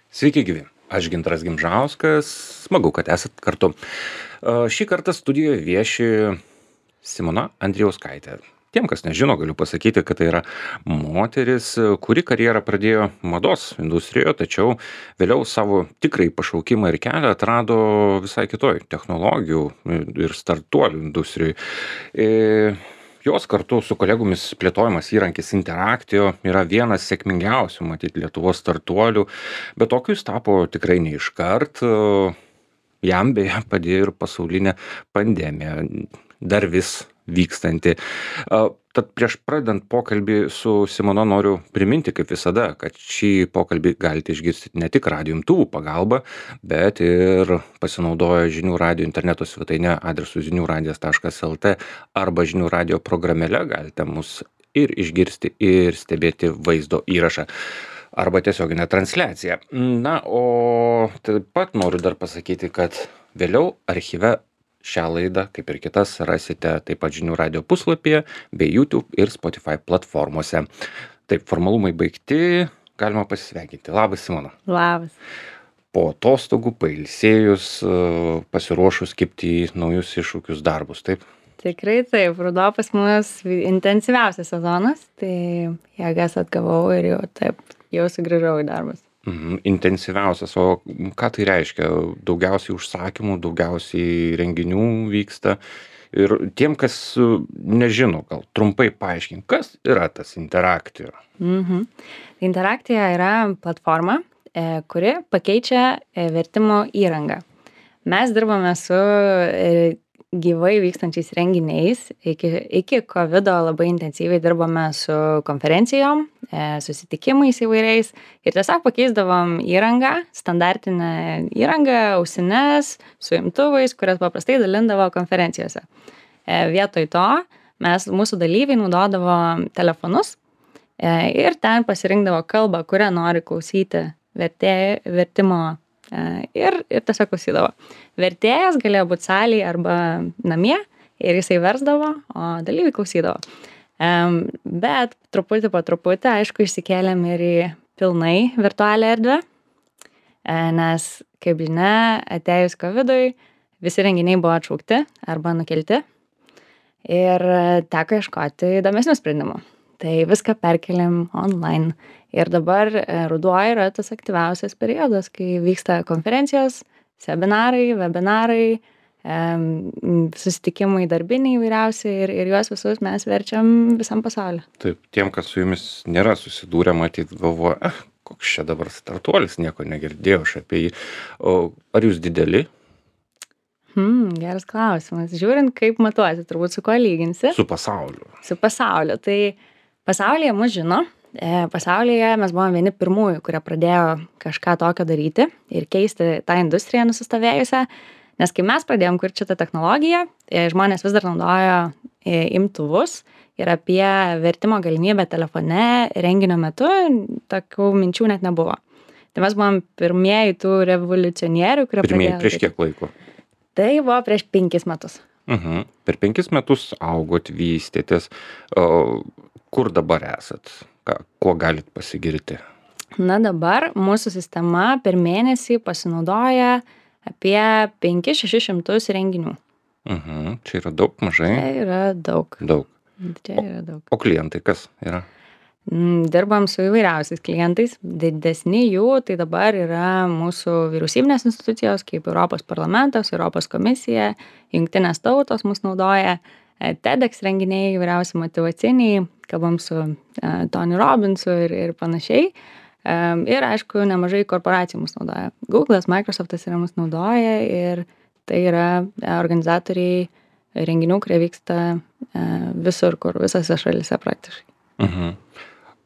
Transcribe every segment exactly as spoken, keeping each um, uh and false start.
Sveiki gyvi, aš Gintaras Gimžauskas, smagu, kad esat kartu. Šį kartą studijoje vieši Simona Andrijauskaitė. Tiem, kas nežino, galiu pasakyti, kad tai yra moteris, kuri karjerą pradėjo mados industrijoje, tačiau vėliau savo tikrai pašaukimą ir kelią atrado visai kitoj technologijų ir startuolių industrijai. E, Jos kartu su kolegomis plėtojamas įrankis Interactio yra vienas sėkmingiausių, matyt, Lietuvos startuolių, bet tokiu jis tapo tikrai ne iškart. Jam beje padėjo ir pasaulinė pandemija, dar vis vykstanti. Tad prieš pradedant pokalbį su Simona noriu priminti, kaip visada, kad šį pokalbį galite išgirsti ne tik radijo imtuvų pagalba, bet ir pasinaudoję žinių radijo interneto svetainę adresu zinių radijas taškas lt arba žinių radijo programėle galite mus ir išgirsti, ir stebėti vaizdo įrašą arba tiesioginę transliaciją. Na, o taip pat noriu dar pasakyti, kad vėliau archyve šią laidą, kaip ir kitas, rasite taip pat žinių radijo puslapyje bei YouTube ir Spotify platformose. Taip, formalumai baigti, galima pasisveikinti. Labas, Simona. Labas. Po atostogų, pailsėjus, pasiruošus kibti į naujus iššūkius darbus, taip? Tikrai taip, ruduo pas mus intensyviausias sezonas, tai jėgas atgavau ir jau taip, jau sugrįžau į darbus. Mhm, intensyviausias, o ką tai reiškia? Daugiausiai užsakymų, daugiausiai renginių vyksta. Ir tiem, kas nežino, gal trumpai paaiškink, kas yra tas Interactio? Mhm. Interactio yra platforma, e, kuri pakeičia e, vertimo įrangą. Mes dirbame su e, gyvai vykstančiais renginiais. Iki, iki kovido labai intensyviai dirbame su konferencijom, e, susitikimais įvairiais ir tiesiog pakeisdavom įrangą, standartinę įrangą, ausines, su imtuvais, kurias paprastai dalindavo konferencijose. E, vietoj to mes, mūsų dalyviai naudodavo telefonus e, ir ten pasirinkdavo kalbą, kurią nori klausyti vertė, vertimo ir, ir tiesiog klausydavo. Vertėjas galėjo būti salėje arba namie ir jisai versdavo, o dalyviai klausydavo. Um, bet truputį po truputį, aišku, išsikėlėm ir į pilnai virtualią erdvę, nes, kaip žinia, atėjus kovidui, visi renginiai buvo atšaukti arba nukelti ir teko ieškoti įdomesnių sprendimų. Tai viską perkeliam online. Ir dabar ruduo yra tas aktyviausias periodas, kai vyksta konferencijos, seminarai, webinarai, susitikimai darbiniai įvairiausi ir, ir juos visus mes verčiam visam pasauliu. Taip, tiem, kas su jumis nėra susidūrę, matyt, galvoja, ah, koks čia dabar startuolis, nieko negirdėjau aš apie jį. O ar jūs dideli? Hmm, geras klausimas. Žiūrint, kaip matuosi, turbūt su kuo lyginsi? Su pasauliu. Su pasauliu. Tai pasaulyje mus žino. Pasaulyje mes buvom vieni pirmųjų, kurie pradėjo kažką tokio daryti ir keisti tą industriją nusistovėjusią, nes kai mes pradėjom kurti šitą technologiją, žmonės vis dar naudojo imtuvus ir apie vertimo galimybę telefone renginio metu tokių minčių net nebuvo. Tai mes buvom pirmieji tų revoliucionierių, kurie Pirmieji pradėjo. prieš kiek laiko? Tai buvo prieš penkis metus. Mhm. Per penkis metus augot, vystėtės. O, kur dabar esat? Ką, kuo galit pasigirti? Na dabar mūsų sistema per mėnesį pasinaudoja apie penkis šešis šimtus renginių. Mhm. Čia yra daug, mažai? Čia yra daug. Daug. Čia yra daug. O klientai kas yra? Dirbam su įvairiausiais klientais. Didesni jų tai dabar yra mūsų vyriausybinės institucijos, kaip Europos parlamentas, Europos komisija, jungtinės tautos mus naudoja, TEDx renginiai, įvairiausi motyvaciniai, kalbam su uh, Tony Robbinsu ir, ir panašiai. Um, ir aišku, nemažai korporacijų mus naudoja. Google'as, Microsoft'as yra mus naudoja ir tai yra organizatoriai renginių, kurie vyksta uh, visur, kur visose šalyse praktiškai. Mhm.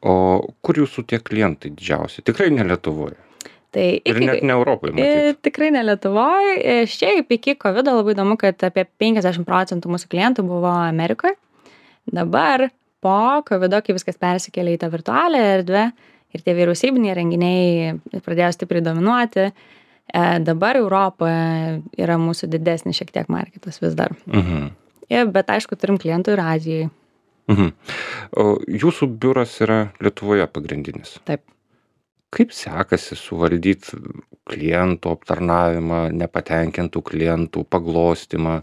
O kur jūsų tie klientai didžiausi? Tikrai ne Lietuvoje. Tai iki, ir net ne Europoje, matyt. Tikrai ne Lietuvoje. Šiaip iki kovido labai įdomu, kad apie penkiasdešimt procentų mūsų klientų buvo Amerikoje. Dabar po kovido, kai viskas persikėlė į tą virtualią erdvę ir tie vyriausybiniai renginiai pradėjo stipriai dominuoti, dabar Europoje yra mūsų didesnis šiek tiek marketas vis dar. Mhm. Ja, bet aišku, turim klientų ir Azijai. Mhm. O jūsų biuras yra Lietuvoje pagrindinis? Taip. kaip sekasi suvaldyt klientų aptarnavimą, nepatenkintų klientų paglostymą,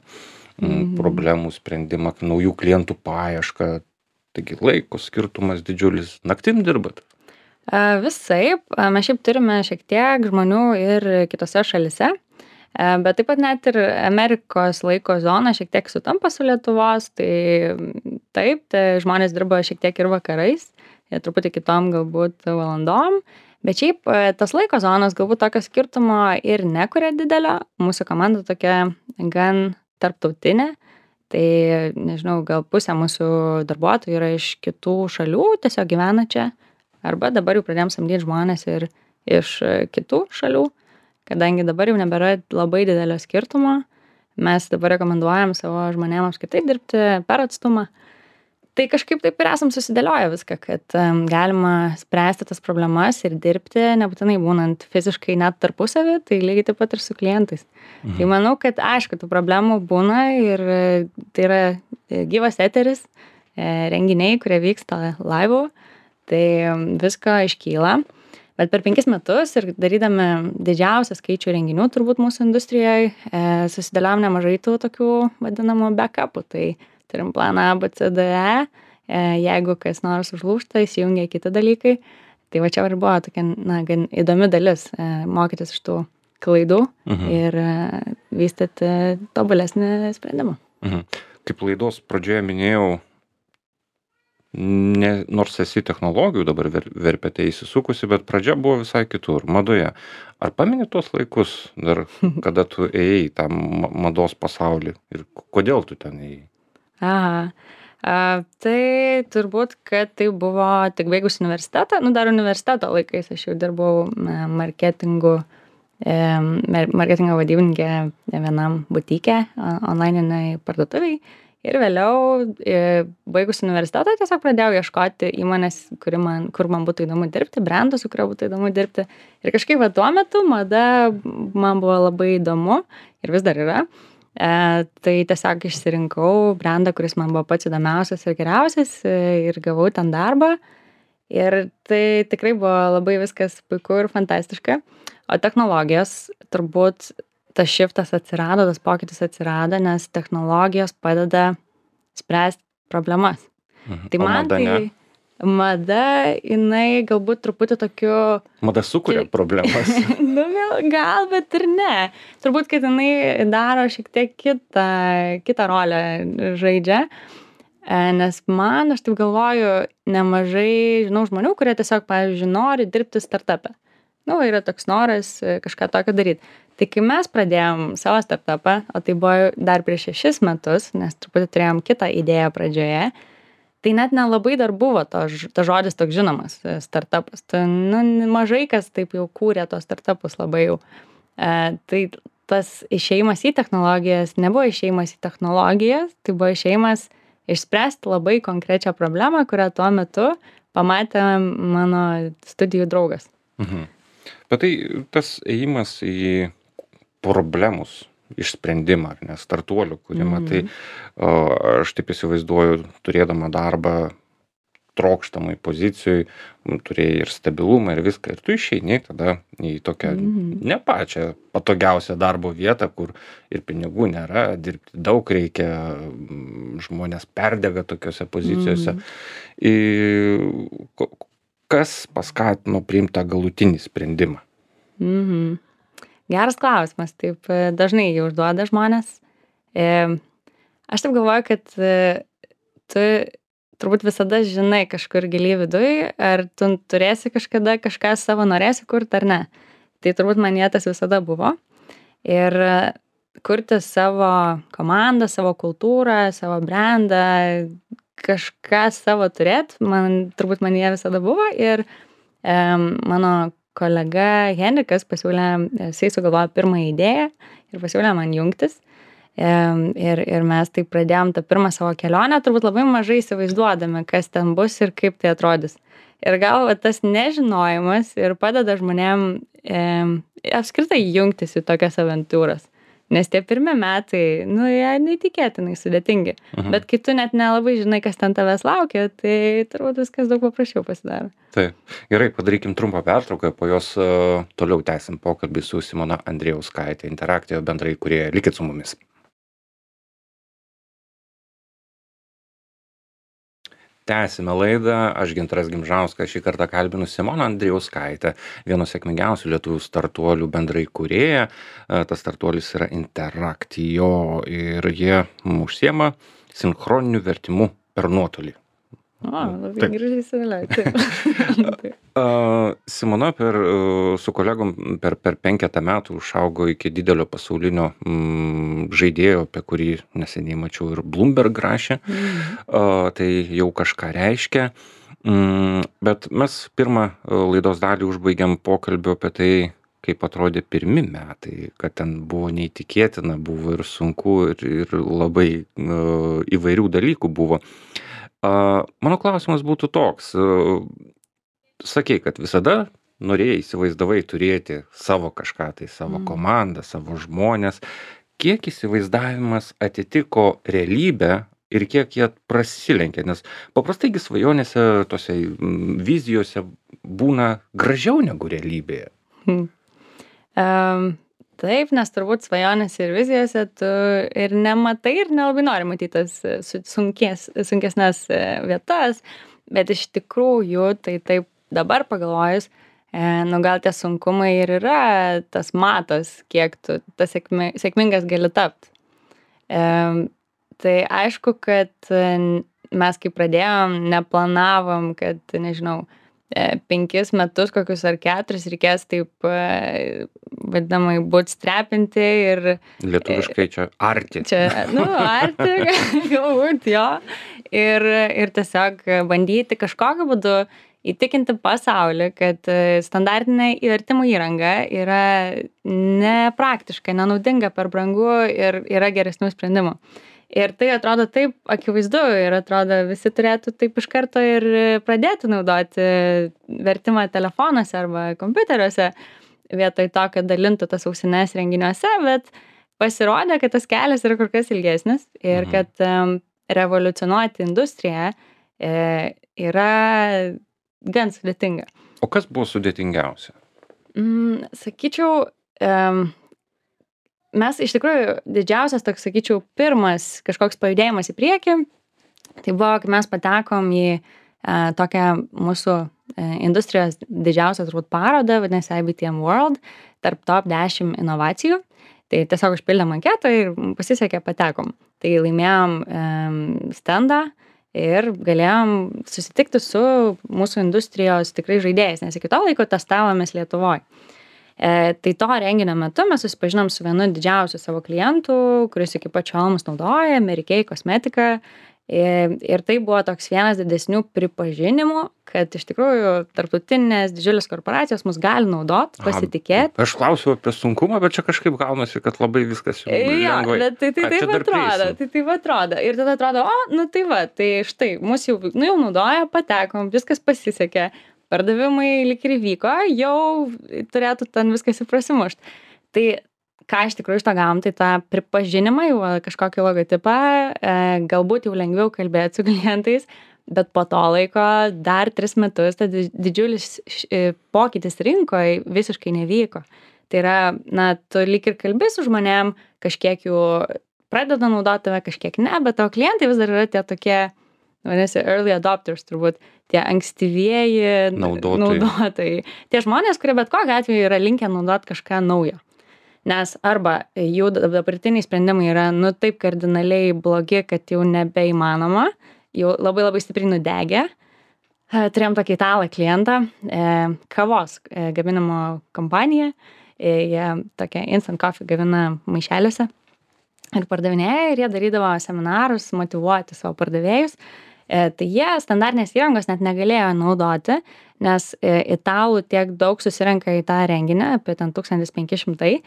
mm, Mhm. problemų sprendimą, naujų klientų paiešką? Taigi laiko skirtumas didžiulis. Naktim dirbat? A, Visaip, a, mes šiaip turime šiek tiek žmonių ir kitose šalise, a, bet taip pat net ir Amerikos laiko zona šiek tiek sutampa su Lietuvos, tai mm, taip, tai žmonės dirba šiek tiek ir vakarais, ir truputį kitom galbūt valandom, bet šiaip a, tas laiko zonos galbūt tokio skirtumo ir nekuria didelio. Mūsų komanda tokia gan tarptautinė, tai nežinau, gal pusė mūsų darbuotojų yra iš kitų šalių, tiesiog gyvena čia. Arba dabar jau pradėjom samdyt žmones ir iš e, kitų šalių, kadangi dabar jau nebėra labai didelio skirtumo. Mes dabar rekomenduojam savo žmonėm apskritai dirbti per atstumą. Tai kažkaip taip ir esam susidėlioję viską, kad em, galima spręsti tas problemas ir dirbti, nebūtinai būnant fiziškai net tarpusavy, tai lygiai taip pat ir su klientais. Tai manau, kad aišku, tų problemų būna ir e, tai yra e, gyvas eteris, e, renginiai, kurie vyksta laivų, tai em, visko iškyla. Bet per penkis metus ir darydami didžiausią skaičių renginių turbūt mūsų industrijoje, e, susidėliojom nemažai tų tokių vadinamų backupų. Tai turim planą A, B, C, D, E, e, jeigu kas nors užlūžta, įsijungia kiti dalykai. Tai va čia ir buvo tokia, na, gan įdomi dalis e, mokytis iš tų klaidų Mhm. ir e, vystyti tobulesnį sprendimą. Mhm. Kaip laidos pradžioje minėjau, ne, nors esi technologijų dabar ver, verpete įsisukusi, bet pradžia buvo visai kitur, madoje. Ar pameni tuos laikus, dar kada tu ėjai į tą ma- mados pasaulį ir k- kodėl tu ten ėjai? Aha. A, tai turbūt, kad tai buvo tik baigus universitetą, nu dar universiteto laikais aš jau dirbau e, marketingu, e, mer- marketingo vadybininkė vienam butike, onlininiai parduotuviai. Ir vėliau, e, baigus universitetą, tiesiog pradėjau ieškoti įmonės, kuri man, kur man būtų įdomu dirbti, brendo, su kurio būtų įdomu dirbti. Ir kažkaip va, tuo metu mada man buvo labai įdomu ir vis dar yra. E, tai tiesiog išsirinkau brendą, kuris man buvo pats įdomiausias ir geriausias e, ir gavau ten darbą. Ir tai tikrai buvo labai viskas puiku ir fantastiška. O technologijos turbūt tas shiftas atsirado, tas pokytis atsirado, nes technologijos padeda spręsti problemas. Mhm. Tai O man mada tai ne? mada, jinai galbūt truputį tokiu Mada sukuria Čia- problemas. nu, gal, gal, bet ir ne. Turbūt, kad jinai daro šiek tiek kitą, kitą rolę žaidžia. E, Nes man, aš taip galvoju, nemažai žinau žmonių, kurie tiesiog, pavyzdžiui, nori dirbti startupę. Nu, va, yra toks noras e, kažką tokio daryti. Tai kai mes pradėjom savo startupą, o tai buvo dar prieš šešis metus, nes truputį turėjom kitą idėją pradžioje, tai net nelabai dar buvo to, ž- tas žodis toks žinomas, e, startupas. Tai, nu, mažai kas taip jau kūrė tos startupus labai jau. E, tai tas išėjimas į technologijas nebuvo išėjimas į technologijas, tai buvo išėjimas išspręsti labai konkrečią problemą, kurią tuo metu pamatė mano studijų draugas. Mhm. Bet tai tas ėjimas į problemus išsprendimą, ar ne, startuolių kūrimą, Mhm. tai o, aš taip įsivaizduoju, turėdama darbą trokštamai pozicijoj, m, turėjai ir stabilumą ir viską, ir tu išeini tada į tokią Mhm. ne pačią patogiausią darbo vietą, kur ir pinigų nėra, dirbti daug reikia, m, žmonės perdega tokiose pozicijose. Mhm. Ir ko- kas paskatino priimti tą galutinį sprendimą? Mhm. Geras klausimas, taip e, dažnai jį užduoda žmonės. E, Aš taip galvoju, kad e, tu turbūt visada žinai kažkur giliai viduj, ar tu turėsi kažkada kažką savo norėsi kurti ar ne. Tai turbūt manyje tas visada buvo. Ir e, kurti savo komandą, savo kultūrą, savo brandą, kažką savo turėt, man turbūt manyje visada buvo. Ir e, mano kolega Henrikas pasiūlė, jisai sugalvojo pirmąją idėją ir pasiūlė man jungtis. Em, Ir, ir mes tai pradėjom tą pirmą savo kelionę, turbūt labai mažai įsivaizduodami, kas ten bus ir kaip tai atrodys. Ir gal va, tas nežinojimas ir padeda žmonėm em, apskritai jungtis į tokias aventūras. Nes tie pirmi metai, nu, jie neįtikėtinai sudėtingi. Mhm. Bet kai tu net nelabai žinai, kas ten tavęs laukia, tai turbūt viskas daug paprasčiau pasidaro. Taip. Gerai, padarykim trumpą pertrauką, po jos uh, toliau tęsim pokalbį su Simona Andrijauskaitė, Interaktijo bendrai įkūrėja. Likit su mumis. Tęsime laidą, aš Gintaras Gimžauskas, šį kartą kalbinu Simoną Andrijauskaitę, vieno sėkmingiausių lietuvių startuolių bendrai įkūrėja. Tas startuolis yra Interaktijo ir jie užsiema sinchroniniu vertimu per nuotolį. O, labai gražiai įsivėliau. Taip. Uh, Simona per, uh, su kolegom per, per penketą metų užaugo iki didelio pasaulinio mm, žaidėjo, apie kurį neseniai mačiau ir Bloomberg rašė. Mhm. Uh, tai jau kažką reiškia. Mm, bet mes pirmą uh, laidos dalį užbaigiam pokalbio apie tai, kaip atrodė pirmi metai, kad ten buvo neįtikėtina, buvo ir sunku, ir, ir labai uh, įvairių dalykų buvo. Uh, mano klausimas būtų toks. Uh, sakei, kad visada norėjai, įsivaizdavai turėti savo kažką, tai savo Mm. komandą, savo žmonės. Kiek įsivaizdavimas atitiko realybę ir kiek jie prasilenkia? Nes paprastaigi svajonėse, tose mm, vizijose būna gražiau negu realybėje. Hmm. Um, taip, nes turbūt svajonėse ir vizijose tu ir nematai ir nelabai nori matyti tas e, su- sunkes, sunkesnes e, vietas, bet iš tikrųjų, tai taip dabar pagalvojus, e, nu gal tie sunkumai ir yra tas matas, kiek tu tas sėkmi, sėkmingas gali tapti. E, tai aišku, kad e, mes kai pradėjom, neplanavom, kad, nežinau, e, penkis metus kokius ar keturis reikės taip e, vadinamai bootstrapinti ir Lietuviškai čia arti. čia, nu, arti, galbūt jo. Ir, ir tiesiog bandyti kažkokiu būdu įtikinti pasaulį, kad e, standartinė įvertimo įranga yra nepraktiška, nenaudinga, per brangu ir yra geresnių sprendimų. Ir tai atrodo taip akivaizdu ir atrodo visi turėtų taip iš karto ir pradėti naudoti vertimą telefonuose arba kompiuteriuose vietoj to, kad dalintų tas ausines renginiuose, bet pasirodė, kad tas kelias yra kur kas ilgesnis ir Mhm. kad um, revoliucionuoti industriją e, yra gan sudėtinga. O kas buvo sudėtingiausia? Mm, sakyčiau, um, mes iš tikrųjų didžiausias toks, sakyčiau, pirmas kažkoks pajudėjimas į priekį, tai buvo, kai mes patekom į e, tokią mūsų e, industrijos didžiausią turbūt parodą, vadinasi I B T M World, tarp top dešimt inovacijų. Tai tiesiog užpildėm anketą ir pasisekė, patekom. Tai laimėjom um, standą ir galėjom susitikti su mūsų industrijos tikrai žaidėjais, nes iki to laiko testavomės Lietuvoje. E, tai to renginio metu mes susipažinom su vienu didžiausių savo klientų, kuris iki pačiol mus naudoja, Amerikei kosmetika. Ir, ir tai buvo toks vienas didesnių pripažinimų, kad iš tikrųjų tarptautinės didžiulės korporacijos mus gali naudot, pasitikėti. Aš klausiu apie sunkumą, bet čia kažkaip gaunasi, kad labai viskas jau Jo, lengvai. bet tai, tai A, čia taip dar atrodo, prieisim. tai taip atrodo. Ir tada atrodo, o, nu tai va, tai štai, mus jau, nu, jau naudoja, patekom, viskas pasisekė, pardavimai lyg ir vyko, jau turėtų ten viskas ir prasimušt. Tai ką iš tikrųjų iš to gavom, tai tą pripažinimą, jau kažkokį logotipą, e, galbūt jau lengviau kalbėti su klientais, bet po to laiko dar tris metus ta di- didžiulis š- e, pokytis rinkoje visiškai nevyko. Tai yra, na, tu lyg ir kalbi su žmonėm, kažkiek jų pradeda naudoti tave, kažkiek ne, bet tavo klientai vis dar yra tie tokie, vadinasi, early adopters turbūt, tie ankstyvieji Naudotojai. naudotojai. Tie žmonės, kurie bet kokiu atveju yra linkę naudoti kažką naujo. Nes arba jų dabartiniai sprendimai yra, nu, taip kardinaliai blogi, kad jau nebeįmanoma, jau labai labai stipriai nudegę. E, Turėjom tokį italą klientą, e, kavos e, gaminimo kompaniją, e, jie tokia instant coffee gamina maišeliuose ir pardavinėja ir jie darydavo seminarus, motyvuoti savo pardavėjus. E, tai jie standartinės įrangos net negalėjo naudoti, nes e, italų tiek daug susirenka į tą renginį, apie ten tūkstantis penki šimtai.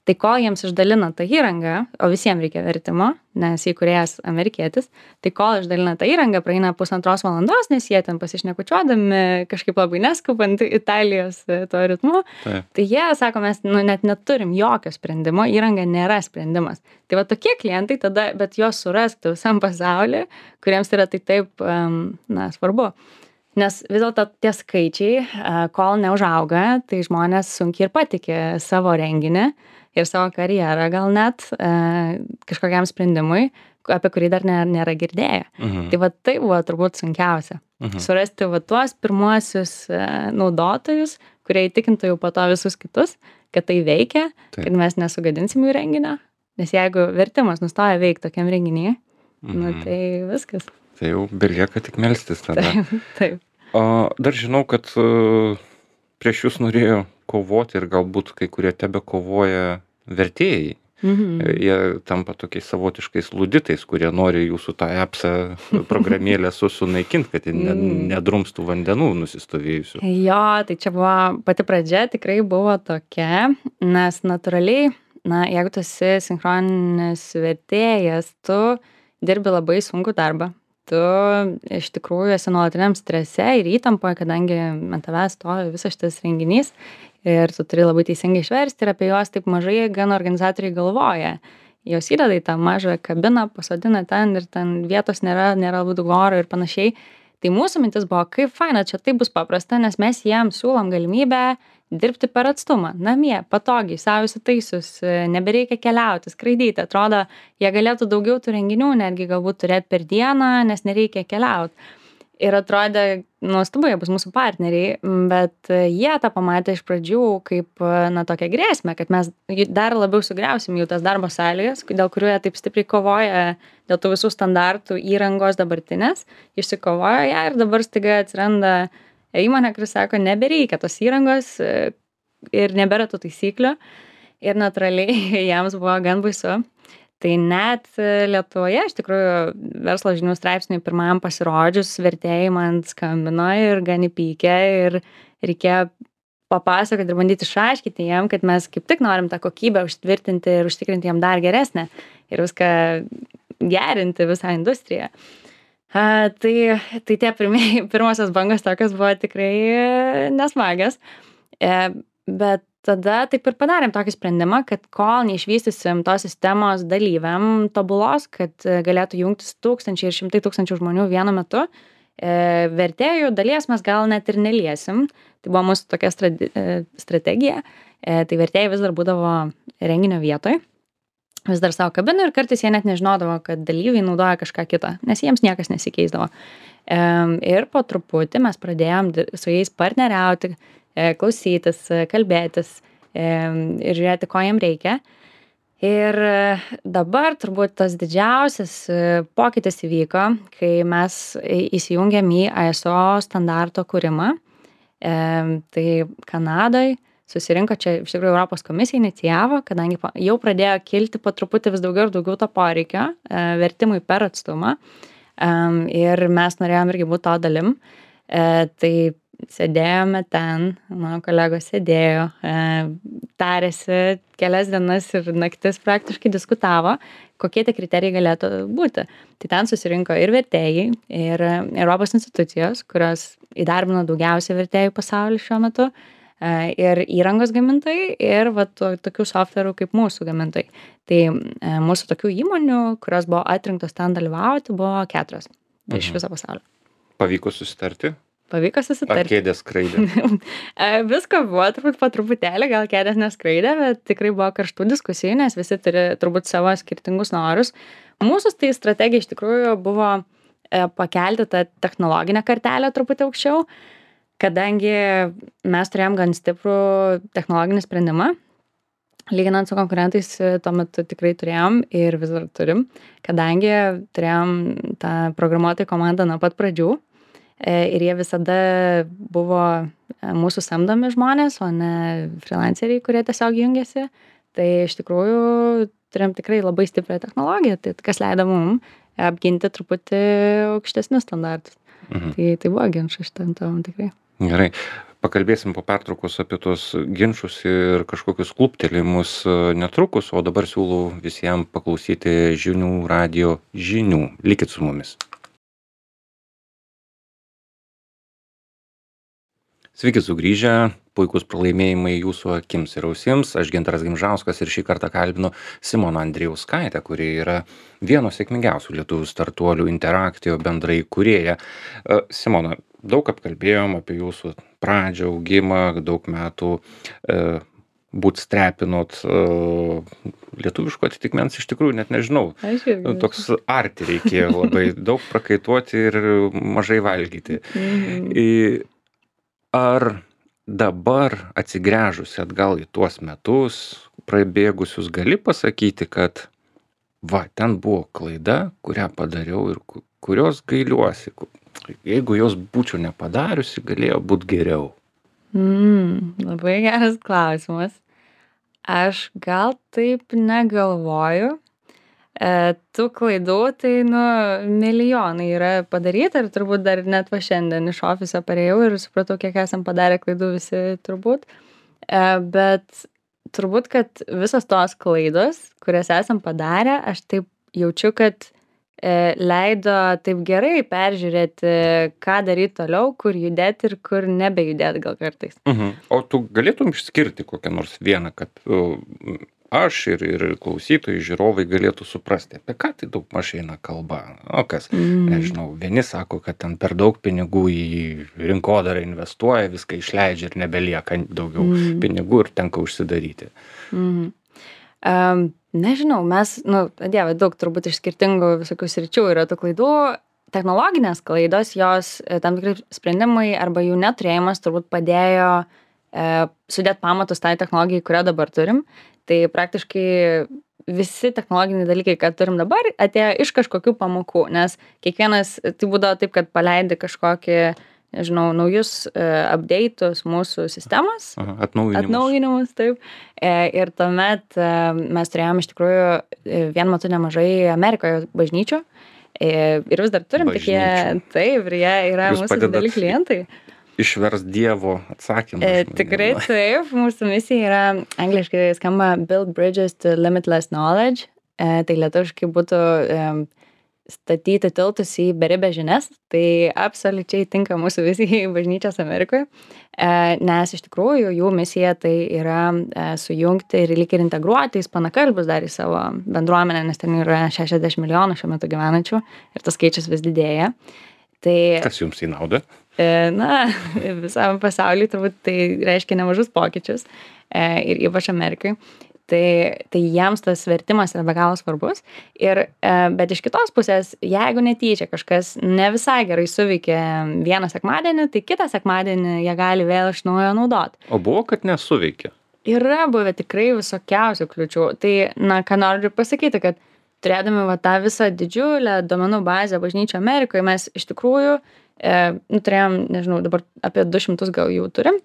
Tai kol jiems išdalina tą įrangą, o visiems reikia vertimo, nes įkūrėjas amerikietis, tai kol išdalina tą įrangą, praeina pusantros valandos, nes jie ten pasišnekučiuodami, kažkaip labai neskubant Italijos to ritmu, Taip. tai jie sako, mes nu, net neturim jokio sprendimo, įranga nėra sprendimas. Tai va tokie klientai tada, bet juos surasti visam pasaulyje, kuriems yra tai taip, um, na, svarbu. Nes vis dėlto tie skaičiai, kol neužauga, tai žmonės sunkiai ir patikė savo renginį ir savo karjerą gal net kažkokiam sprendimui, apie kurį dar nėra girdėję. Mhm. Tai va tai buvo turbūt sunkiausia. Mhm. Surasti va tuos pirmuosius naudotojus, kurie įtikintų jau po to visus kitus, kad tai veikia, taip, kad mes nesugadinsim jų renginio. Nes jeigu vertimas nustoja veikti tokiam renginyje, mhm, nu, tai viskas. Tai jau belieka tik melstis tada. Taip, taip. O, dar žinau, kad uh, prieš jūs norėjo kovoti ir galbūt kai kurie tebe kovoja vertėjai. Mhm. Jie tampa tokiais savotiškais luditais, kurie nori jūsų tą appsą programėlę sunaikinti, kad jie ne, nedrumstų vandenų nusistovėjusių. Jo, tai čia buvo pati pradžia, tikrai buvo tokia, nes natūraliai, na, jeigu tu esi sinchroninis vertėjas, tu dirbi labai sunkų darbą. Tu iš tikrųjų esi nuolatiniam strese ir įtampoje, kadangi ant tavęs stovi visas šitas renginys ir tu turi labai teisingai išversti ir apie juos taip mažai gan organizatoriai galvoja. Jos įdeda į tą mažą kabiną, pasodina ten ir ten vietos nėra, nėra labai daug oro ir panašiai. Tai mūsų mintis buvo, kaip faina, čia tai bus paprasta, nes mes jiems siūlom galimybę dirbti per atstumą, namie, patogiai, savo įsitaisius, nebereikia keliauti, skraidyti. Atrodo, jie galėtų daugiau tų renginių, netgi galbūt turėti per dieną, nes nereikia keliauti. Ir atrodė, nuostabu, jie bus mūsų partneriai, bet jie tą pamatė iš pradžių kaip, na, tokią grėsmę, kad mes dar labiau sugriausim jų tas darbo sąlygas, dėl kurių jie taip stipriai kovoja, dėl tų visų standartų įrangos dabartinės, išsikovojo ją ir dabar staiga atsiranda įmonė, kuris sako, nebereikia tos įrangos ir nebėra tų taisyklių ir natūraliai jiems buvo gan baisu. Tai net Lietuvoje, iš tikrųjų, verslo žinių straipsniui pirmam pasirodžius, vertėjai man skambino ir gan įpykę ir reikėjo papasakoti ir bandyti išaiškinti jiem, kad mes kaip tik norim tą kokybę užtvirtinti ir užtikrinti jiem dar geresnę ir viską gerinti visą industriją. A, tai, tai tie pirmieji, pirmosios bangos tokios buvo tikrai nesmagios, e, bet tada taip ir padarėm tokį sprendimą, kad kol neišvystysim tos sistemos dalyviam tobulos, kad galėtų jungtis tūkstančiai ir šimtai tūkstančių žmonių vienu metu, e, vertėjų dalies mes gal net ir neliesim. Tai buvo mūsų tokia strate, strategija. E, tai vertėjai vis dar būdavo renginio vietoj, vis dar savo kabinų ir kartais jie net nežinodavo, kad dalyviai naudoja kažką kitą, nes jiems niekas nesikeisdavo. E, ir po truputį mes pradėjom su jais partneriauti, klausytis, kalbėtis ir žiūrėti, ko jiem reikia. Ir dabar turbūt tas didžiausias pokytis įvyko, kai mes įsijungėm į I S O standarto kūrimą. Tai Kanadoj susirinko, čia iš tikrųjų Europos komisija inicijavo, kadangi jau pradėjo kilti po truputį vis daugiau ir daugiau to poreikio vertimui per atstumą. Ir mes norėjom irgi būti to dalim. Tai sėdėjome ten, mano kolegos sėdėjo, e, tarėsi kelias dienas ir naktis praktiškai diskutavo, kokie tie kriterijai galėtų būti. Tai ten susirinko ir vertėjai, ir Europos institucijos, kurios įdarbino daugiausiai vertėjų pasaulyje šiuo metu, e, ir įrangos gamintojai, ir va, to, tokių softverų kaip mūsų gamintojai. Tai e, mūsų tokių įmonių, kurios buvo atrinktos ten dalyvauti, buvo keturios mhm. iš viso pasaulio. Pavyko susitarti? Pavyko susitarti. Ar kėdės skraidė? Visko buvo turbūt po truputėlį, gal kėdės neskraidė, bet tikrai buvo karštų diskusijų, nes visi turi turbūt savo skirtingus norus. Mūsų tai strategija iš tikrųjų buvo pakelti tą technologinę kartelę truputį aukščiau, kadangi mes turėjom gan stiprų technologinį sprendimą. Lyginant su konkurentais, tuo metu tikrai turėjom ir vis dar turim, kadangi turėjom tą programuotojų komandą nuo pat pradžių. Ir jie visada buvo mūsų samdomi žmonės, o ne freelanceriai, kurie tiesiog jungiasi. Tai iš tikrųjų turėjom tikrai labai stiprią technologiją, tai kas leido mum apginti truputį aukštesnius standartus. Mhm. Tai, tai buvo ginčas šitam tam tikrai. Gerai. pakalbėsim po pertraukos apie tuos ginčus ir kažkokius kluptelėjimus netrukus, o dabar siūlau visiems paklausyti žinių radijo žinių. Likit su mumis. Sveiki sugrįžę, puikus pralaimėjimai jūsų akims ir ausims. Aš Gintaras Gimžauskas ir šį kartą kalbinu Simoną Andrijauskaitę, kuri yra vieno sėkmingiausių lietuvių startuolių Interaktio bendrai kūrėja. Simona, daug apkalbėjom apie jūsų pradžią, augimą, daug metų e, bootstrapinot, e, lietuviško atitikmens iš tikrųjų net nežinau. Toks arti reikėjo labai daug prakaituoti ir mažai valgyti. Mhm. I, Ar dabar atsigręžusi atgal į tuos metus, prabėgusius, gali pasakyti, kad va, ten buvo klaida, kurią padariau ir kurios gailiuosi. Jeigu jos būčiau nepadariusi, galėjo būti geriau. Mm, labai geras klausimas. Aš gal taip negalvoju. E, tų klaidų, tai, nu, milijonai yra padaryta ir turbūt dar net va šiandien iš ofiso parėjau ir supratau, kiek esam padarę klaidų visi turbūt. E, bet turbūt, kad visos tos klaidos, kurias esam padarę, aš taip jaučiu, kad e, leido taip gerai peržiūrėti, ką daryti toliau, kur judėti ir kur nebejudėti gal kartais. Mhm. O tu galėtum išskirti kokią nors vieną, kad uh, aš ir, ir klausytojai, žiūrovai galėtų suprasti, apie ką tai daug mažai eina kalba. O kas, Mm. nežinau, vieni sako, kad ten per daug pinigų į rinkodarą investuoja, viską išleidžia ir nebelieka daugiau Mm. pinigų ir tenka užsidaryti. Mhm. Um, nežinau, mes, nu, dieve, daug turbūt iš skirtingų visokių sričių yra tų klaidų. Technologinės klaidos, jos e, tam tikrai sprendimai arba jų neturėjimas turbūt padėjo e, sudėti pamatus tai technologijai, kurią dabar turim. Tai praktiškai visi technologiniai dalykai, ką turim dabar, atėjo iš kažkokių pamokų, nes kiekvienas, tai būdavo taip, kad paleidi kažkokį, nežinau, naujus uh, update'us mūsų sistemos, Aha, atnaujinimus. atnaujinimus, taip. E, ir tuomet e, mes turėjom iš tikrųjų e, vienu metu nemažai Amerikoje bažnyčių e, ir vis dar turim, tik jie, Bažnyčių. taip, ir jie yra Jūs mūsų padedat dideli klientai. Išvers Dievo atsakymą. E, žmonėm. tikrai taip, mūsų misija yra, angliškai skamba Build Bridges to Limitless Knowledge, e, tai lietuviškai būtų e, statyti tiltus į beribę žinias, tai absoliučiai tinka mūsų vizijai bažnyčios Amerikoje, e, nes iš tikrųjų jų misija tai yra e, sujungti ir lyg ir integruoti ispanakalbius dar į savo bendruomenę, nes ten yra šešiasdešimt milijonų šiuo metu gyvenančių ir tas skaičius vis didėja. Tai, Kas jums į naudą? E, na, visam pasauliui turbūt tai reiškia nemažus pokyčius e, ir ypač Amerikai. Tai, tai jiems tas vertimas yra be galo svarbus. Ir, e, bet iš kitos pusės, jeigu netyčia kažkas ne visai gerai suveikia vieną sekmadienį, tai kitą sekmadienį jie gali vėl iš naujo naudoti. O buvo, kad nesuveikė. Yra buvę tikrai visokiausių kliūčių. Tai, na, ką noriu pasakyti, kad turėdami va, tą visą didžiulę duomenų bazę bažnyčio Amerikoje, mes iš tikrųjų e, nu, turėjom, nežinau, dabar apie du šimtus gal jų turim.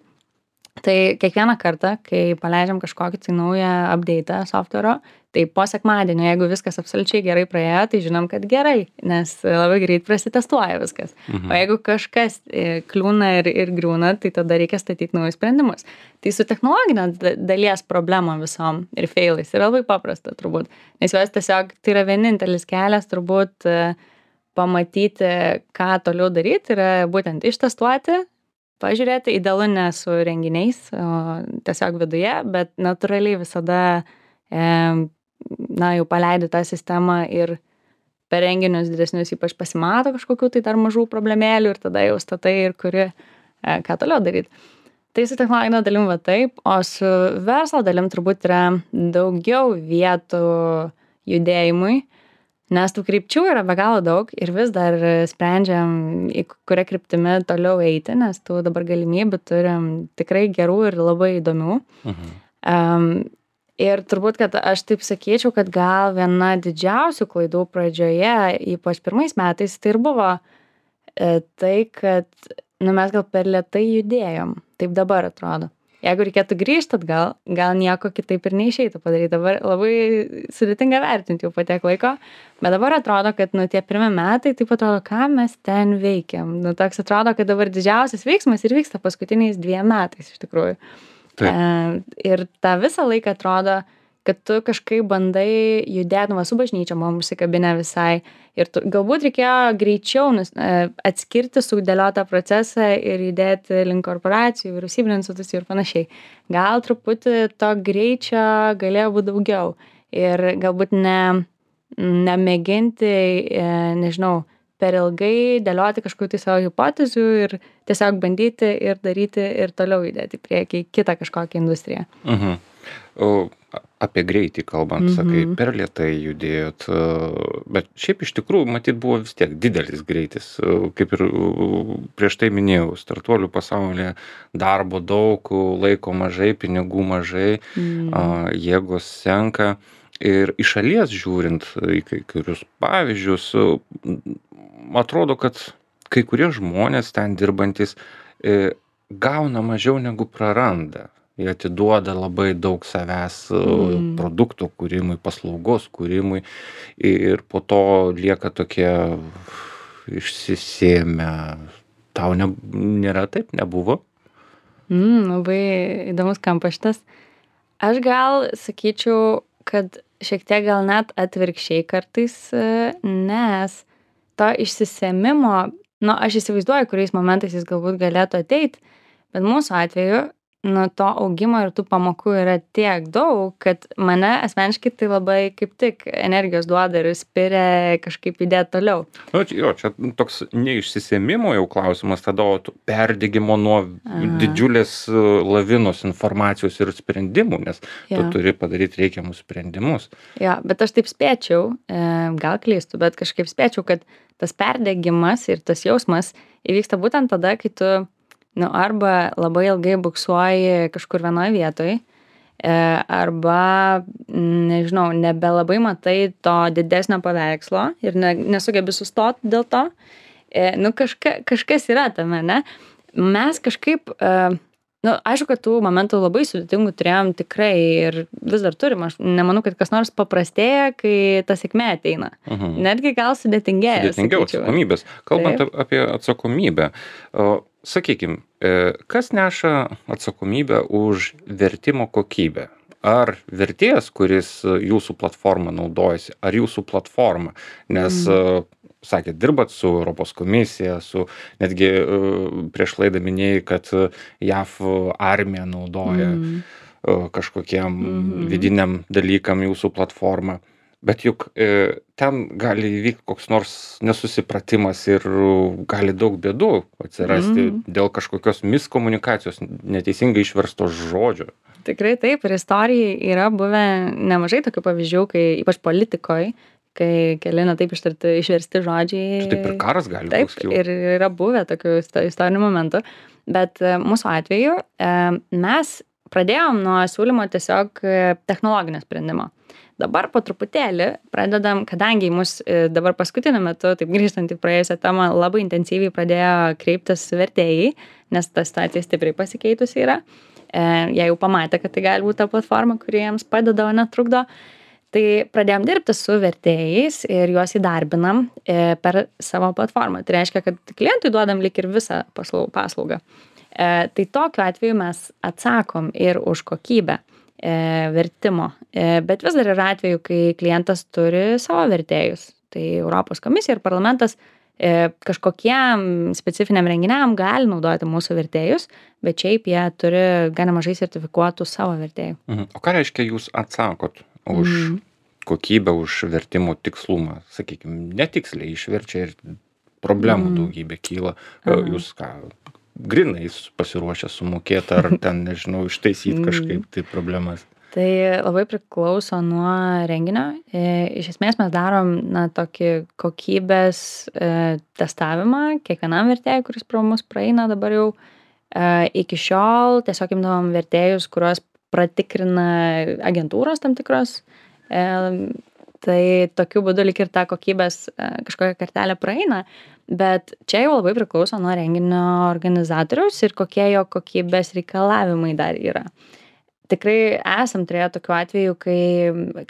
Tai kiekvieną kartą, kai paleidžiam kažkokį tai naują update'ą software'o, tai po sekmadienio, jeigu viskas absoliučiai gerai praėjo, tai žinom, kad gerai, nes labai greit prasitestuoja viskas. Mhm. O jeigu kažkas e, kliūna ir, ir griūna, tai tada reikia statyti naujus sprendimus. Tai su technologinė da- dalies problemom visom ir failais yra labai paprasta turbūt. Nes juos tiesiog, tai yra vienintelis kelias turbūt e, pamatyti, ką toliau daryti, yra būtent ištestuoti, pažiūrėti, idealu ne su renginiais, o tiesiog viduje, bet natūraliai visada, e, na, jau paleidi tą sistemą ir per renginius didesnius ypač pasimato kažkokių tai dar mažų problemėlių ir tada jau statai ir kuri, e, ką toliau daryti. Tai su technologinė dalim va taip, o su verslo dalim turbūt yra daugiau vietų judėjimui, nes tų krypčių yra be galo daug ir vis dar sprendžiam, į kurią kryptimi toliau eiti, nes tų dabar galimybių turim tikrai gerų ir labai įdomių. Mhm. Um, ir turbūt, kad aš taip sakyčiau, kad gal viena didžiausių klaidų pradžioje, ypač pirmais metais, tai ir buvo e, tai, kad nu, mes gal per lėtai judėjom. Taip dabar atrodo. jeigu reikėtų grįžt atgal, gal nieko kitaip ir neišeitų padaryti. Dabar labai sudėtinga vertinti jau po tiek laiko, bet dabar atrodo, kad nu, tie pirmi metai, taip atrodo, ką mes ten veikiam. Nu, toks atrodo, kad dabar didžiausias veiksmas ir vyksta paskutiniais dviem metais iš tikrųjų. E, ir tą visą laiką atrodo, kad tu kažkaip bandai judėt, nu, va, su bažnyčia, man užsikabinę visai. Ir tu, galbūt reikėjo greičiau nus, atskirti, sudėliotą procesą ir judėti link korporacijų, vyriausybinių institucijų ir panašiai. Gal truputį to greičio galėjo būti daugiau. Ir galbūt ne, nemėginti, nežinau, per ilgai dėlioti kažkokių tai savo hipotezių ir tiesiog bandyti ir daryti ir toliau judėti į priekį kitą kažkokią industriją. Mhm. O apie greitį kalbant, Mhm. sakai, per lėtai judėjot, bet šiaip iš tikrųjų, matyt, buvo vis tiek didelis greitis. Kaip ir prieš tai minėjau, startuolių pasaulyje darbo daug, laiko mažai, pinigų mažai, Mm. jėgos senka. Ir iš šalies žiūrint į kai kurius pavyzdžius, atrodo, kad kai kurie žmonės ten dirbantis e, gauna mažiau negu praranda. Jie atiduoda labai daug savęs Mm. produktų kūrimui, paslaugos kūrimui ir po to lieka tokie išsisėmę. Tau ne, nėra taip, nebuvo? Mm, labai įdomus kampas šitas. Aš gal sakyčiau, kad šiek tiek gal net atvirkščiai kartais, e, nes to išsisėmimo, nu, aš įsivaizduoju, kuriais momentais jis galbūt galėtų ateit, bet mūsų atveju, nu, to augimo ir tų pamokų yra tiek daug, kad mane asmeniškai tai labai kaip tik energijos duoda ir spiria kažkaip judėti toliau. Nu, čia- jo, čia toks neišsisėmimo jau klausimas, tada o tu perdegimo nuo Aha. didžiulės e, lavinos informacijos ir sprendimų, nes tu Jo. turi padaryti reikiamus sprendimus. Jo, bet aš taip spėčiau, e, gal klystu, bet kažkaip spėčiau, kad tas perdegimas ir tas jausmas įvyksta būtent tada, kai tu, nu, arba labai ilgai buksuoji kažkur vienoje vietoje, arba, mm, nežinau, nebelabai matai to didesnio paveikslo ir ne, nesugebi sustoti dėl to. E, nu, kažka, kažkas yra tame, ne? Mes kažkaip, e, nu, aišku, kad tų momentų labai sudėtingų turėjom tikrai ir vis dar turim. Aš nemanau, kad kas nors paprastėja, kai ta sėkmė ateina. Mhm. Netgi gal sudėtingėja. Sudėtingiau sakyčiau. atsakomybės. Kalbant Taip. ap- apie atsakomybę, o, sakykim, e, kas neša atsakomybę už vertimo kokybę? Ar vertėjas, kuris e, jūsų platformą naudojasi, ar jūsų platforma? Nes, e, sakėt, dirbat su Europos komisija, su netgi e, prieš laidą minėjai, kad e, J A V armija naudoja Mm. e, kažkokiem Mhm. vidiniam dalykam jūsų platformą. Bet juk e, ten gali įvykti koks nors nesusipratimas ir e, gali daug bėdų atsirasti Mhm. dėl kažkokios miskomunikacijos, neteisingai išversto žodžio. Tikrai taip, ir istorijai yra buvę nemažai tokių pavyzdžių, kai ypač politikoje, kai keli na taip ištarti, išversti žodžiai. Čia taip ir karas gali Taip, koks kilt. ir yra buvę tokių isto- istorinių momentų, bet e, mūsų atveju e, mes pradėjom nuo siūlymo tiesiog e, technologinio sprendimo. Dabar po truputėlį pradedam, kadangi į mus e, dabar paskutiniu metu, taip grįžtant į praėjusią temą, labai intensyviai pradėjo kreiptis vertėjai, nes ta situacija stipriai pasikeitusi yra. E, jie jau pamatė, kad tai gali būti ta platforma, kuri jiems padeda, o netrukdo. Tai pradėjom dirbti su vertėjais ir juos įdarbinam e, per savo platformą. Tai reiškia, kad klientui duodam lyg ir visą paslau- paslaugą. E, tai tokiu atveju mes atsakom ir už kokybę e, vertimo. E, bet vis dar yra atveju, kai klientas turi savo vertėjus. Tai Europos komisija ir parlamentas e, kažkokiem specifiniam renginiam gali naudoti mūsų vertėjus, bet šiaip jie turi gana mažai sertifikuotų savo vertėjų. Mhm. O ką reiškia jūs atsakot už Mhm. kokybę, už vertimo tikslumą? Sakykime, netiksliai išverčia ir problemų Mhm. daugybė kyla. Aha. Jūs ką, grinais pasiruošę sumokėti ar ten, nežinau, ištaisyti Mhm. kažkaip tai problemas? Tai labai priklauso nuo renginio. E, Iš esmės mes darom na, tokį kokybės e, testavimą kiekvienam vertėjui, kuris pro mus praeina dabar jau. E, Iki šiol tiesiog imdavom vertėjus, kuriuos pratikrina agentūros tam tikros. E, tai tokiu būdu lyg ir ta kokybės kažkokia kartelė praeina, bet čia jau labai priklauso nuo renginio organizatoriaus ir kokie jo kokybės reikalavimai dar yra. Tikrai esam turėję tokių atvejų, kai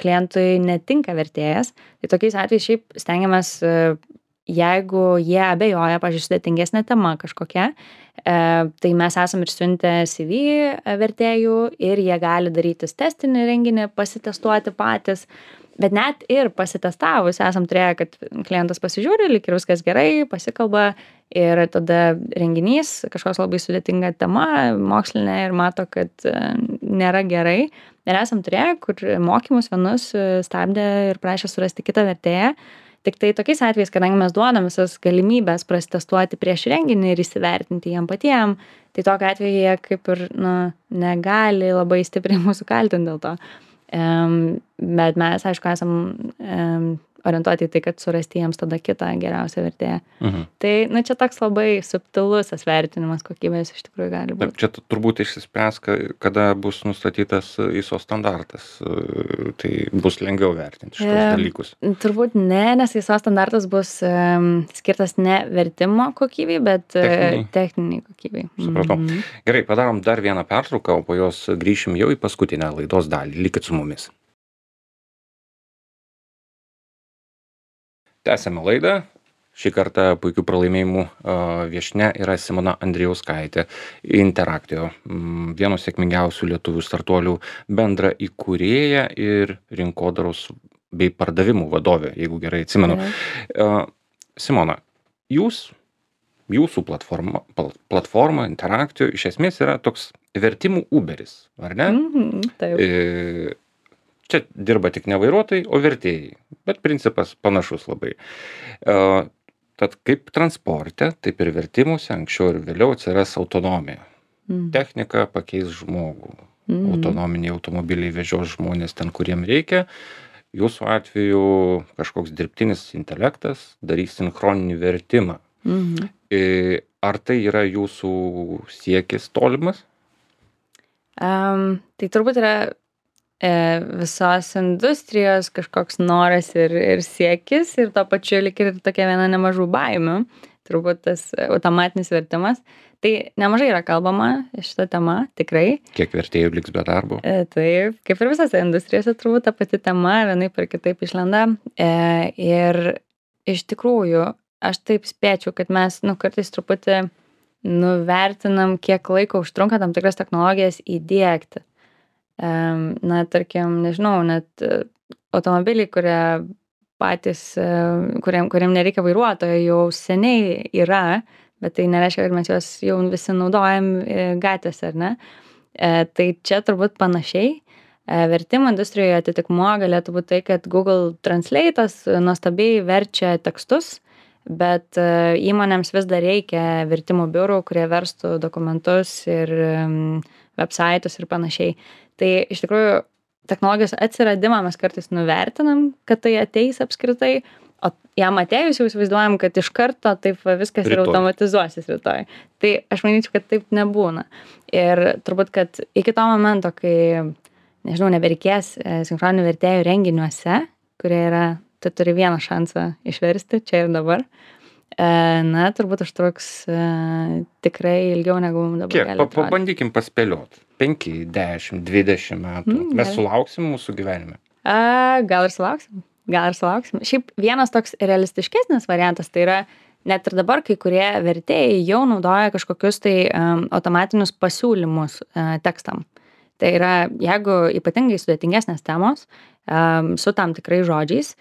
klientui netinka vertėjas, tai tokiais atvejais šiaip stengiamės, jeigu jie abejoja, pavyzdžiui, sudėtingesnė tema kažkokia, tai mes esam ir siuntę C V vertėjų ir jie gali darytis testinį renginį, pasitestuoti patys. Bet net ir pasitestavus esam turėję, kad klientas pasižiūri, lyg ir viskas gerai, pasikalba ir tada renginys, kažkoks labai sudėtinga tema, mokslinė ir mato, kad nėra gerai. Ir esam turėję, kur mokymus vienus stabdė ir prašė surasti kitą vertėją. Tik tai tokiais atvejais, kadangi mes duodam visas galimybės prasitestuoti prieš renginį ir įsivertinti jiem patiem, tai tokiu atveju jie kaip ir nu, negali labai stipriai mūsų kaltinti dėl to. Um, bet mes, aišku, esam um, orientuoti į tai, kad surasti jiems tada kitą geriausią vertėją. Mhm. Tai, na, čia toks labai subtilus vertinimas kokybės iš tikrųjų gali būti. Čia turbūt išsispręs, kada bus nustatytas I S O standartas, tai bus lengviau vertinti šitos e, dalykus. Turbūt ne, nes I S O standartas bus um, skirtas ne vertimo kokybei, bet techniniai, techniniai kokybei. Supratau. Mhm. Gerai, padarom dar vieną pertrauką, o po jos grįšim jau į paskutinę laidos dalį. Likit su mumis. Tęsiame laidą. Šį kartą puikių pralaimėjimų viešnia yra Simona Andrijauskaitė, Interactio, vieno sėkmingiausių lietuvių startuolių bendra įkūrėja ir rinkodaros bei pardavimų vadovė, jeigu gerai atsimenu. Mhm. Simona, jūs, jūsų platforma, platforma Interactio iš esmės yra toks vertimų Uberis, ar ne? Mhm, taip. E, Čia dirba tik ne vairuotojai, o vertėjai, bet principas panašus labai. Uh, tad kaip transporte, taip ir vertimuose anksčiau ir vėliau atsiras autonomija. Mm. Technika pakeis žmogų. Mm. Autonominiai automobiliai vežios žmonės ten, kuriem reikia. Jūsų atveju kažkoks dirbtinis intelektas darys sinchroninį vertimą. Mm. E, ar tai yra jūsų siekis tolimas? Um, tai turbūt yra visos industrijos kažkoks noras ir, ir siekis ir to pačiu lik ir tokia viena nemažų baimių, turbūt tas automatinis vertimas. Tai nemažai yra kalbama šitą temą, tikrai. Kiek vertėjų liks be darbo? E, taip, kaip ir visose industrijose turbūt ta pati tema vienaip ar kitaip išlenda. E, ir iš tikrųjų, aš taip spėčiau, kad mes nu, kartais truputį nuvertinam, kiek laiko užtrunka tam tikras technologijas įdiegti. Na, tarkim, nežinau, net automobiliai, kurie patys, kuriem, kuriem nereikia vairuotojo, jau seniai yra, bet tai nereiškia, kad mes juos jau visi naudojam gatvėse, ar ne? Tai čia turbūt panašiai. Vertimo industrijoje atitikmuo galėtų būti tai, kad Google Translate'as nuostabiai verčia tekstus, bet įmonėms vis dar reikia vertimo biurų, kurie verstų dokumentus ir websaitus ir panašiai. Tai iš tikrųjų technologijos atsiradimą mes kartais nuvertinam, kad tai ateis apskritai, o jam atėjus jau įsivaizduojam, kad iš karto taip viskas rytoj. Ir automatizuosis rytoj. Tai aš manyčiau, kad taip nebūna. Ir turbūt, kad iki to momento, kai, nežinau, nebereikės sinchroninių vertėjų renginiuose, kurie yra, tu turi vieną šansą išversti čia ir dabar, na, turbūt užtruks tikrai ilgiau negu dabar. Kiek? Pa, pabandykim paspėliot. penki, dešimt, dvidešimt metų. Mm, Mes sulauksim mūsų gyvenime? A, gal ir sulauksim. Gal ir sulauksim. Šiaip vienas toks realistiškesnis variantas, tai yra net ir dabar kai kurie vertėjai jau naudoja kažkokius tai um, automatinius pasiūlymus uh, tekstam. Tai yra, jeigu ypatingai sudėtingesnės temos um, su tam tikrai žodžiais,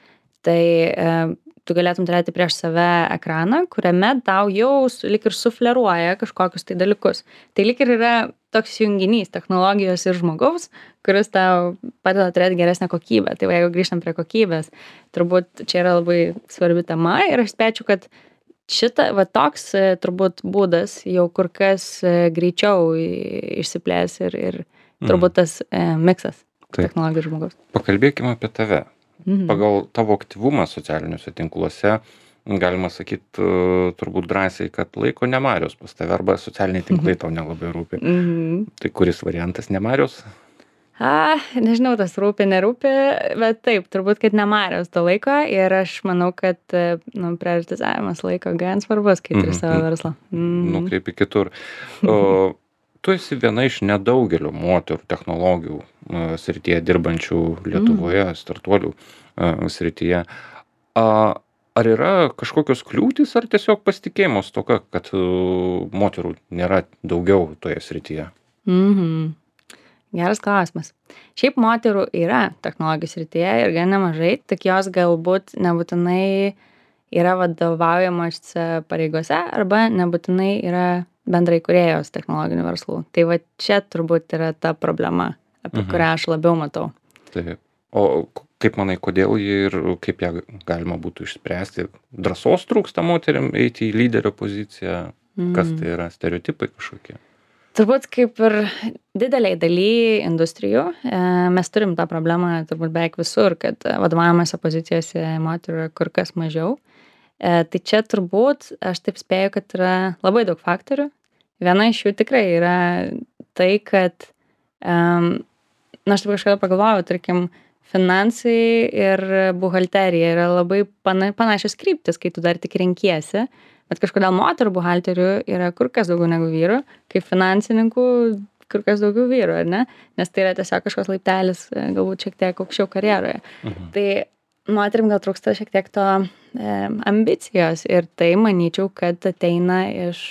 tai um, tu galėtum turėti prieš save ekraną, kuriame tau jau lyg ir sufleruoja kažkokius tai dalykus. Tai lyg ir yra toks junginys technologijos ir žmogaus, kuris tau padeda turėti geresnę kokybę. Tai va, jeigu grįžtam prie kokybės, turbūt čia yra labai svarbi tema ir aš spėčiau, kad šita, va, toks turbūt būdas jau kur kas greičiau išsiplės ir, ir turbūt tas e, miksas technologijos ir žmogaus. Pakalbėkime apie tave. Mhm. Pagal tavo aktyvumą socialiniuose tinkluose galima sakyti turbūt drąsiai, kad laiko ne Marios pas tave arba socialiniai tinklai tau nelabai rūpi. Mhm. Tai kuris variantas, ne Marios? A, nežinau, tas rūpi, nerūpi, bet taip, turbūt, kad nemariaus to laiko ir aš manau, kad, nu, prioritizavimas laiko gan svarbus, kai turi savo verslą. Mm. Nukreipi kitur. O, tu esi viena iš nedaugelio moterų technologijų a, srityje dirbančių Lietuvoje, mm. startuolių a, srityje. A, ar yra kažkokios kliūtys, ar tiesiog pasitikėjimo stoka, kad a, moterų nėra daugiau toje srityje? Mhm. Geras klausimas. Šiaip moterų yra technologijų srityje ir gan nemažai, tik jos galbūt nebūtinai yra vadovaujamose pareigose arba nebūtinai yra bendrai kūrėjos technologinių verslų. Tai va čia turbūt yra ta problema, apie mhm. kurią aš labiau matau. Taip. O kaip manai, kodėl jį ir kaip ją galima būtų išspręsti? Drąsos trūksta moteriam eiti į lyderio poziciją? Mm. Kas tai yra? Stereotipai kažkokie? Turbūt kaip ir dideliai daly industrijų, mes turim tą problemą turbūt beveik visur, kad vadovaujamose pozicijose moterų yra kur kas mažiau. Tai čia turbūt, aš taip spėju, kad yra labai daug faktorių. Viena iš jų tikrai yra tai, kad, na, aš taip kažkada pagalvojau, tarkim, finansai ir buhalterija yra labai pana, panašios kryptis, kai tu dar tik renkiesi. Bet kažkodėl moterų buhalterių yra kur kas daugiau negu vyrų, kaip finansininkų kur kas daugiau vyrų, ar ne? Nes tai yra tiesiog kažkoks laiptelis, galbūt šiek tiek aukščiau karjeroje. Mhm. Tai moterim gal trūksta šiek tiek to e, ambicijos ir tai manyčiau, kad ateina iš,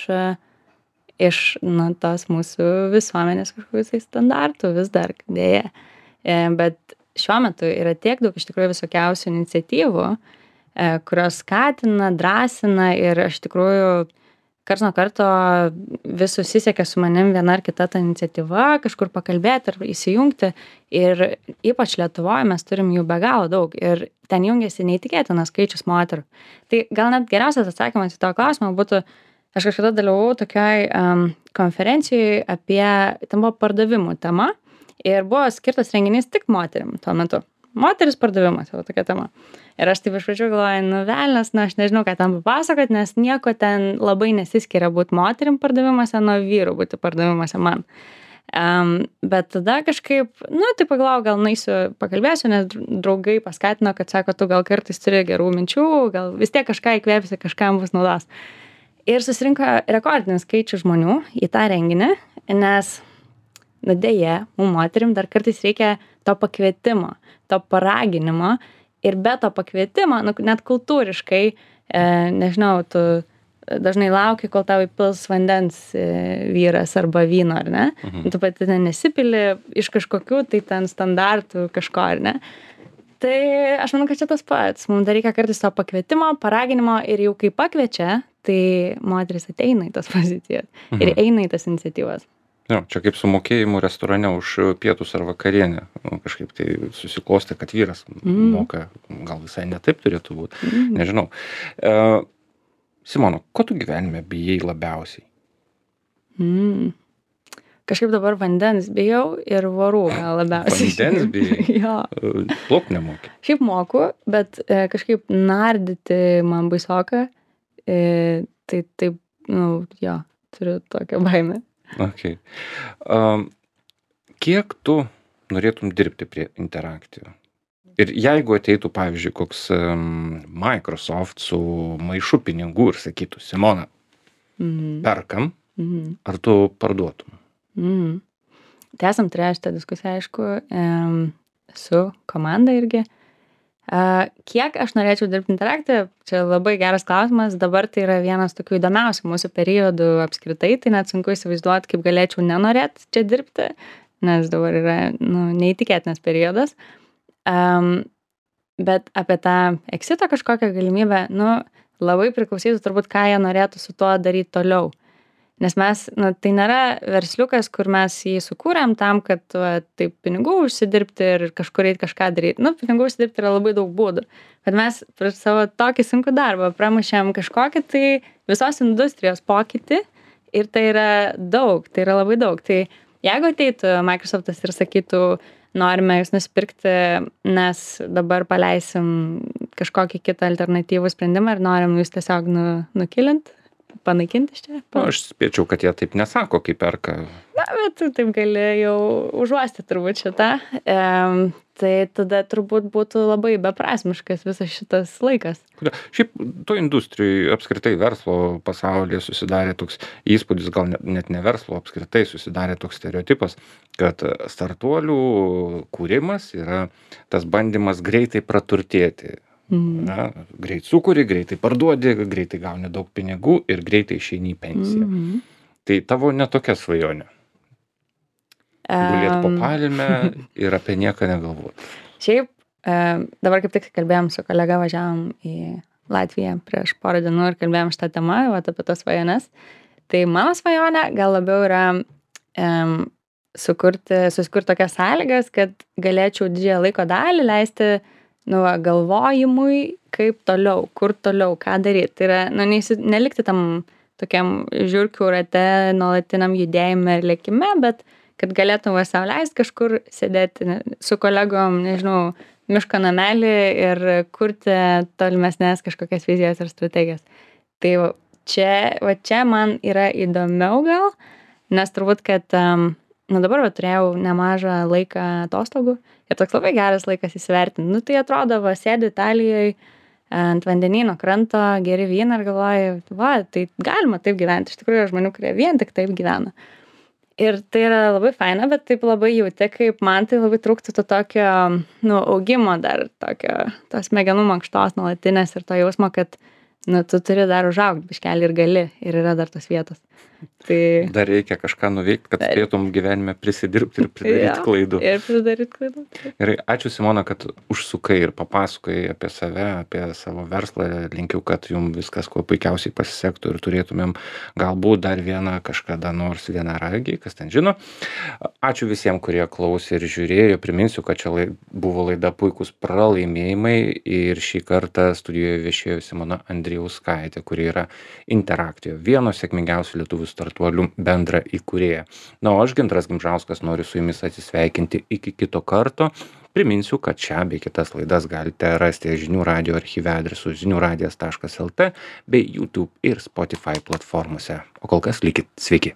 iš nu, tos mūsų visuomenės kažkokius tai standartų vis dar dėja. E, bet šiuo metu yra tiek daug iš tikrųjų visokiausių iniciatyvų, kurios skatina, drąsina ir aš tikrųjų karts nuo karto vis susisiekia su manim viena ar kita ta iniciatyva, kažkur pakalbėti ar įsijungti. Ir ypač Lietuvoje mes turim jų be galo daug ir ten jungiasi neįtikėtinas skaičius moterų. Tai gal net geriausias atsakymas į to klausimą būtų, aš kažkada dalyvavau tokioj um, konferencijoje apie, ten buvo pardavimų tema ir buvo skirtas renginys tik moterim tuo metu. Moteris pardavimas, jau tokia tema. Ir aš taip iš pradžių galvoju, nu velnas, nu aš nežinau, ką tam papasakot, nes nieko ten labai nesiskiria būti moterim pardavimuose nuo vyrų būti pardavimuose man. Um, bet tada kažkaip, nu tai pagalvojau, gal naisiu pakalbėsiu, nes draugai paskatino, kad sako, tu gal kartais turi gerų minčių, gal vis tiek kažką įkvėpsi, kažkam bus naudos. Ir susirinko rekordinis skaičius žmonių į tą renginį, nes, nu dėja, mums moterim dar kartais reikia to pakvietimo, to paraginimo ir be to pakvietimo, nu, net kultūriškai, e, nežinau, tu dažnai lauki, kol tau įpils vandens e, vyras arba vyno, ar ne? Mhm. Tu pati nesipili iš kažkokių, tai ten standartų kažko, ar ne? Tai aš manau, kad čia tas pats. Mums dar reikia kartais to pakvietimo, paraginimo ir jau kai pakviečia, tai moteris ateina į tas pozicijas mhm. ir eina į tas iniciatyvas. Jo, čia kaip su mokėjimu restorane už pietus ar vakarienę. Nu, kažkaip tai susiklostė, kad vyras mm. moka, gal visai ne taip turėtų būti. Mm. Nežinau. E, Simona, ko tu gyvenime bijai labiausiai? Mm. Kažkaip dabar vandens bijau ir vorų gal labiausiai. Vandens bijai? Jo. Plauk nemoki? Šiaip moku, bet e, kažkaip nardyti man baisoka. E, tai taip, nu, jo, turiu tokią baimę. Okay. Um, kiek tu norėtum dirbti prie interaktyvių? Ir jeigu ateitų, pavyzdžiui, koks um, Microsoft su maišu pinigų ir sakytų, Simona, mm-hmm. perkam, mm-hmm. ar tu parduotum? Mm-hmm. Tai esam turėję šitą diskusiją, aišku, um, su komanda irgi. Uh, kiek aš norėčiau dirbti interaktyviai, čia labai geras klausimas, dabar tai yra vienas tokių įdomiausių mūsų periodų apskritai, tai net sunku įsivaizduoti, kaip galėčiau nenorėti čia dirbti, nes dabar yra nu, neįtikėtinas periodas. Um, bet apie tą exito kažkokią galimybę, nu, labai priklausytų turbūt, ką jie norėtų su tuo daryti toliau. Nes mes, na, tai nėra versliukas, kur mes jį sukūrėm tam, kad va, taip pinigų užsidirbti ir kažkur eiti kažką daryti. Nu, pinigų užsidirbti yra labai daug būdų. Bet mes per savo tokį sunkų darbą pramušėm kažkokį tai visos industrijos pokytį ir tai yra daug, tai yra labai daug. Tai jeigu ateitų Microsoftas ir sakytų, norime jūs nusipirkti, nes dabar paleisim kažkokį kitą alternatyvų sprendimą ir norim jūs tiesiog nu, nukilinti, panaikinti iš čia? Nu, aš spėčiau, kad jie taip nesako, kai perka. na, bet tu taip gali jau užuosti turbūt šitą. Em, tai tada turbūt būtų labai beprasmiškas visas šitas laikas. Kodėl? Šiaip to industrijai apskritai verslo pasaulyje susidarė toks įspūdis, gal net, net ne verslo, apskritai susidarė toks stereotipas, kad startuolių kūrimas yra tas bandymas greitai praturtėti. Mhm. Na, greit sukuri, greitai parduodi, greitai gauni daug pinigų ir greitai išeini į pensiją. Mhm. Tai tavo netokia svajonė. Gulėt po Em, palme ir apie nieką negalvoti. Šiaip, em, dabar kaip tik kalbėjom su kolega, važiavom į Latviją prieš porą dienų ir kalbėjom šitą temą, vat, apie tas svajones. Tai mano svajonė gal labiau yra em, sukurti, susikurti tokias sąlygas, kad galėčiau didžiąją laiko dalį leisti nu, va, galvojimui, kaip toliau, kur toliau, ką daryti. Tai yra, nu, neįsi, nelikti tam tokiam žiūrkių rate, nuolatiniam judėjime ir lėkime, bet kad galėtum va sau leisti kažkur sėdėti ne- su kolegom, nežinau, miško namelį ir kurti tolimesnės kažkokias vizijas ir strategijas. Tai va čia, va čia man yra įdomiau gal, nes turbūt, kad um, nu dabar va, turėjau nemažą laiką atostogų ir toks labai geras laikas įsivertinti. Nu tai atrodo, va, sėdi Italijoje ant vandenyno kranto, geri vyną ir galvoju, va, tai galima taip gyventi. Iš tikrųjų yra žmonių, kurie vien tik taip gyvena. Ir tai yra labai faina, bet taip labai jauti, kaip man tai labai trūktų to tokio, nu, augimo dar, tokio, tos smegenų mankštos nuolatinės ir to jausmo, kad, nu, tu turi dar užaugti biškelį ir gali, ir yra dar tos vietos. Tai Dar reikia kažką nuveikti, kad Dar- spėtum gyvenime prisidirbti ir pridaryti Jo, klaidų. ir pridaryt klaidų. Gerai, ačiū Simona, kad užsukai ir papasakai apie save, apie savo verslą. Linkiu, kad jums viskas kuo puikiausiai pasisektų ir turėtumėm galbūt dar vieną kažkada nors vieną ragį, kas ten žino. Ačiū visiems, kurie klausė ir žiūrėjo. Priminsiu, kad čia lai- buvo laida Puikūs pralaimėjimai ir šį kartą studijoje viešėjo Simona Andrijauskaitė, kuri yra Interaktijo, vieno sėkmingiausių lietuvių startuolių bendra įkūrėja. Na, o aš Gintaras Gimžauskas noriu su jumis atsisveikinti iki kito karto. Priminsiu, kad šią bei kitas laidas galite rasti žinių radijo archyve adresu žinių radijas taškas lt bei YouTube ir Spotify platformose. O kol kas likit sveiki.